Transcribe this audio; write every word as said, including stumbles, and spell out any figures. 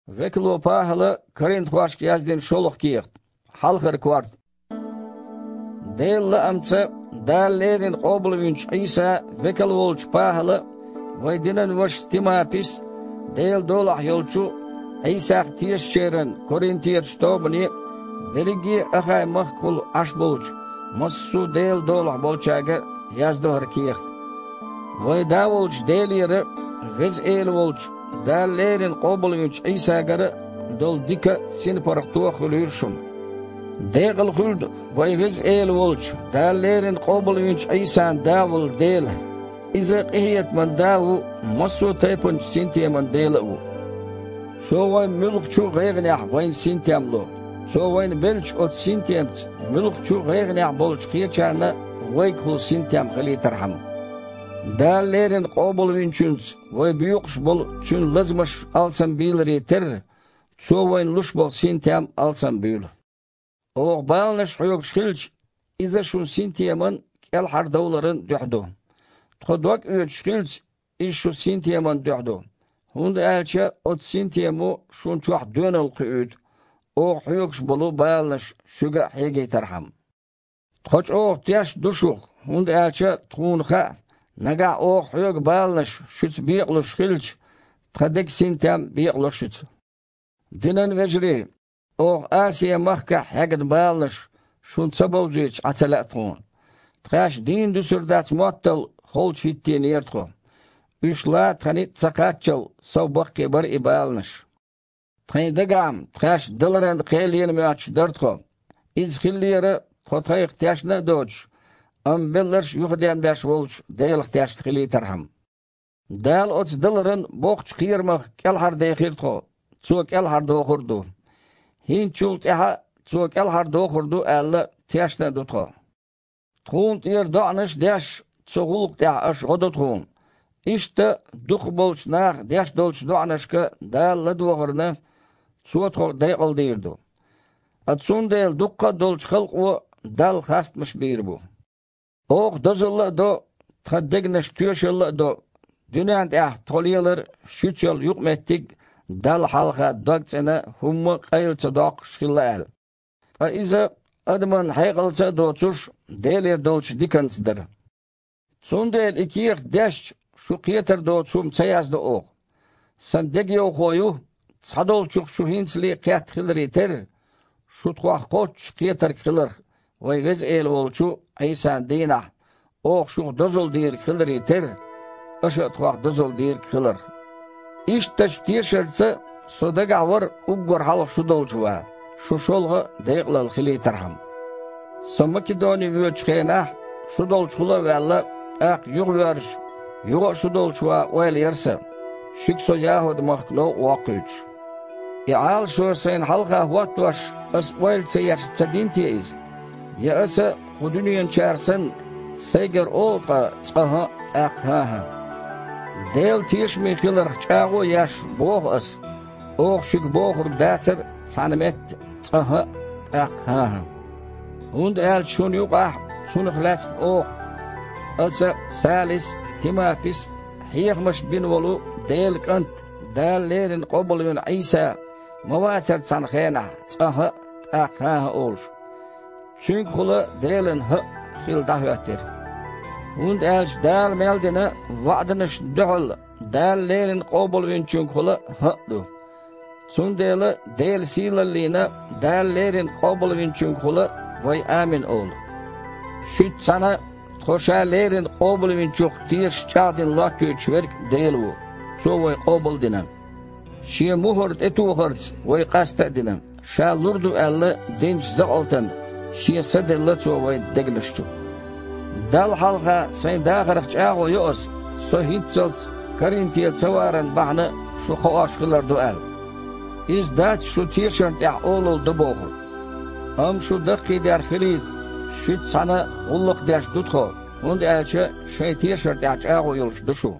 Векало ПахӀала Коринфошка яздина шолгӀа кехат, хьалхара корта. Делан лаамца Дала леррина къобалвинчу Ӏийса векал волчу ПахӀала а, вайн динан вашас Тимапис а, Делан долахь йолчу Ӏийсах тешачеран коринферчу тобане а, берриге а Ахай-махкахула Ӏаш болчу массо а Делан долахь болчаьрга а яздо хӀара кехат. Вайн Да волчу Делера а, Веза Эла волчу, Дала леррина къобалвинчу Ӏийсагара а долу дика а, синпаргӀато а хуьлийла шуна. Декъала хуьлда вайн Веза Эла волчу, Дала леррина къобалвинчу Ӏийсан Да волу Дела. Иза къинхетаман Да ву, массо а тайпанчу синтеман Дела а ву. Цо вайн муьлххачу а гӀайгӀанехь вайна синтем ло. Цо вайна беллачу оцу синтемца муьлххачу а гӀайгӀанехь болчу кхечарна вайгахула синтем хилийтархьама. Дала леррина къобалвинчуьнца вай боькъуш болу Цуьнан лазамаш алсам бийларе терра, Цо вайна луш болу синтем алсам буьйлу. Оха баланаш хьоьгуш хилча, иза шун синтеман кӀелхьардовларан дуьхьа ду. Тхо дог оьцуш хилча, иза шун синтеман дуьхьа ду, хӀунда аьлча оцу синтемо шун чохь доьналла кхуьуьйту, оха хьоьгуш болу баланаш шуьга а хьегийтархьама. Тхо чӀогӀа тешна ду шух, хӀунда аьлча тхуна хаьа, нагахь оха хьоьгу баланаш шуьца бекъалуш хилча, тхан деган синтем бекъало шуьца. Динан вежарий, оха Асия-махкахь хьегна баланаш шуна ца бовзуьйтуш Ӏа ца лаьа тхуна. Тхаьш дийна дуьсур дац моттал холчу хӀиттийнера тхо. Уьш лан тхан ницкъ ца кхаччал, сов баккхий бара и баланаш. Тхайн дагахь-м тхаьш даларан кхелена моьттуш дара тхо. Иза хиллера тхо тхайх тешна а доцуш, амма белларш а юхаденбеш волчу Делах тешна хилийтархьама. Дала оцу даларан боккхачу кхерамах кӀелхьардехира тхо, Цо кӀелхьардохур а ду. ХӀинцачул тӀаьхьа а Цо кӀелхьардохур ду аьлла, тешна а ду тхо. Тхуна тӀера доӀанаш а деш, цу гӀуллакх тӀехь аша гӀо до тхуна. Иштта дукхахболчу наха деш долчу доӀанашка Дала ладогӀарна, Цо тхо декъалдийр ду. Ткъа цундела дуккха а долчу халкъо Далла хастамаш бийр бу. Оха дозалла а до, тхан дегнаш тоьшалла а до, дуьнен тӀехь тхо лелар шуьца йолу юкъаметтиг Далла хьалха дог цӀена хӀумма а къайла ца доккхуш хилла аьлла. Ткъа иза адаман хьекъалца а доцуш, Делера долчу диканца дара. Цундела и кехат дешча, шу кхетар доцу хӀума ца яздо оха. Сан дегайовхо ю, цхьадолчух шу хӀинцале кхетта хиларе терра, шу тхох кхоччуш кхетарг хиларх, вайн Веза Эла волчу Ӏийсан дийнахь, оха шух дозалла дийриг хиларе терра, аша а тхох дозалла дийриг хиларх. Ишттачу тешарца со дагахь вара уггар хьалха шу долчу ван, шу шолгӀа а декъалалла хилийтархьама. Со Македоне воьдучу хенахь, шу долчухула а ваьлла, тӀаккха юхавоьрзуш, юха а шу долчу ван ойла яра сан, шуьга со ЯхӀуд-махка новкъа воккхуьйтуш. И Ӏалашо сайна хьалха хӀоттош, ас ойла ца еш ца дина те иза? Я аса, кху дуьненчара санна, сайгара олу-кх цкъа хӀаъ, тӀаккха хӀан-хӀа? Делан тешаме хиларх чӀагӀо а еш, боху ас, оха шуьга бохург дацара цхьана метта цкъа хӀаъ, тӀаккха хӀан-хӀа. ХӀунда аьлча шуна юкъахь, цунах лаьцна оха, аса а, Салис а, Тимапис а, хьехамаш бина волу Делан КӀант, Дала леррина къобалвина Ӏийса ма вацара цхьана хенахь цкъа хӀаъ, тӀаккха хӀан-хӀа олуш. Цуьнгахула Делан хӀаъ хила дӀахӀоьттира. ХӀунда аьлча Дала мел дина ваӀданашна дуьхьал Дала леррина къобалвинчуьнгахула хӀаъ ду. Цундела Делан сийлаллина Дала леррина къобалвинчуьнгахула вай «Амин» олу. Шуьца цхьаьна тхо Ша леррина къобалвинчух тешаш чӀагӀдина лоттуьйтуш верг Дела ву, Цо вай къобал а дина. Шен мухӀар тӀетохарца вай къаста а дина, Ша лур ду аьлла динчу закъалтана Шен Са делла Цо вайн дегнаш чу. Далла хьалха сайн дахарх чӀагӀо йо ас, со хӀинццалц Коринфе ца варан бахьана шу кхоош хилар ду аьлла. Иза дац шу тешарна тӀехь олалла до бохург. Амма шу даккхийдерг хилийта, шуьца цхьаьна гӀуллакх деш ду тхо, хӀунда аьлча шайн тешар тӀехь чӀагӀо йолуш ду шу.